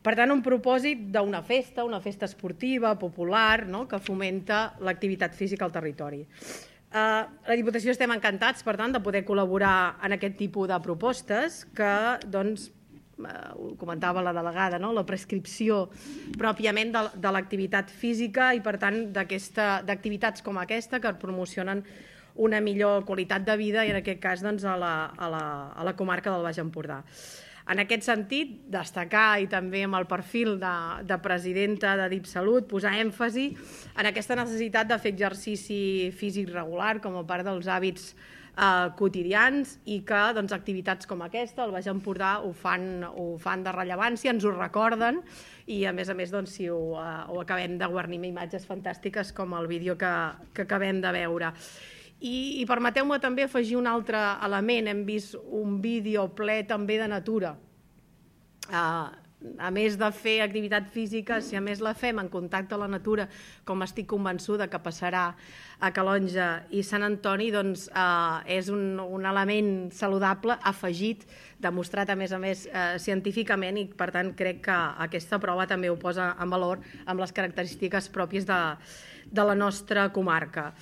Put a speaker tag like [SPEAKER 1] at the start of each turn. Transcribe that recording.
[SPEAKER 1] Per tant, un propòsit d'una festa esportiva, popular, que fomenta l'activitat física al territori. La Diputació estem encantats, per tant, de poder col·laborar en aquest tipus de propostes que, doncs, ho comentava la delegada, la prescripció pròpiament de l'activitat física i, per tant, d'activitats com aquesta que promocionen una millor qualitat de vida i, en aquest cas, a la comarca del Baix Empordà. En aquest sentit, destacar, i també amb el perfil de presidenta de DIPSalut, posar èmfasi en aquesta necessitat de fer exercici físic regular com a part dels hàbits quotidians i que activitats com aquesta, al Baix Empordà, ho fan de rellevància, ens ho recorden i, a més, si ho acabem de guarnir amb imatges fantàstiques com el vídeo que acabem de veure. I permeteu-me també afegir un altre element. Hem vist un vídeo ple també de natura. A més de fer activitat física, si a més la fem en contacte amb la natura, com estic convençuda que passarà a Calonge i Sant Antoni, doncs és un element saludable afegit, demostrat a més científicament, i per tant crec que aquesta prova també ho posa en valor amb les característiques pròpies de la nostra comarca.